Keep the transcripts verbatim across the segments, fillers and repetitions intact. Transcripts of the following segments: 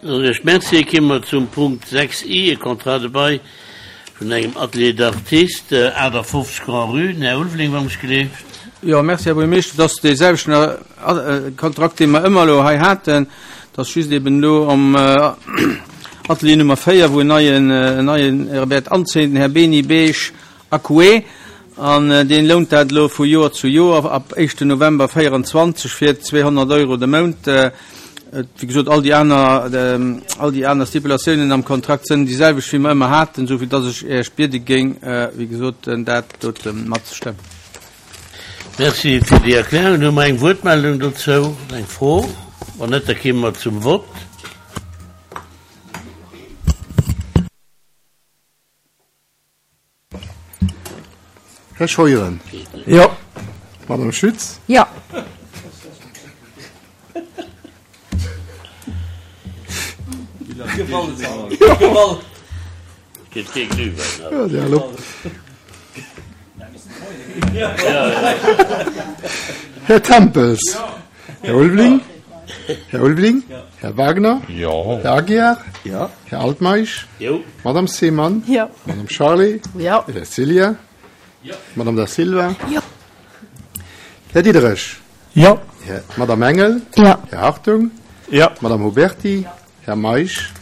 Ech Merci. Komme mer zum Punkt sechs I, e Contrat de bail vun engem Atelier d'artiste, achtafofzeg Grand-Rue. Den Här Ulveling, wann ech gelift. Jo, merci, Här Buergermeeschter. Dat ass dee selwechten Kontrakt, dee mer ëmmer elo hei haten. Dat ass just eben elo am Atelier Nummer véier, wou en neien, en neien wäert anzéien, den Här Beni Beige Acoué. An deen lount dat elo vu Joer zu Joer ab éischten November véierundzwanzeg fir zweehonnert Euro de Mount. Wéi gesot, all déi aner, all déi aner Stipulatiounen am Kontrakt sënn déi selwecht, wéi mer ëmmer haten, esou dass ech Iech biede géing, wéi gesot, dat dote matzestëmmen. Merci fir déi Erklärung. Hu mer eng Wuertmeldung dozou, eng Fro? Wann net, da komme mer zum Vott. Här Scheuren. Jo. Madame Schütz. Jo. Här Tempels. Här Ulveling. Här Ulveling. Här Wagner. Jo. Här Aguiar. Jo. Här Altmeisch. Jo. Madame Seemann. Jo. Madame Charlé. Jo. Här Ceglia. Madame Da Silva. Jo. Här Diderich. Jo. Här, Madame Engel. Jo. Här Hartung. Jo. Madame Huberti. Här Meisch.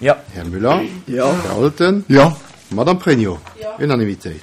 Jo. Här Müller. Jo. Här Olten. Jo. Madame Pregno. Unanimitéit.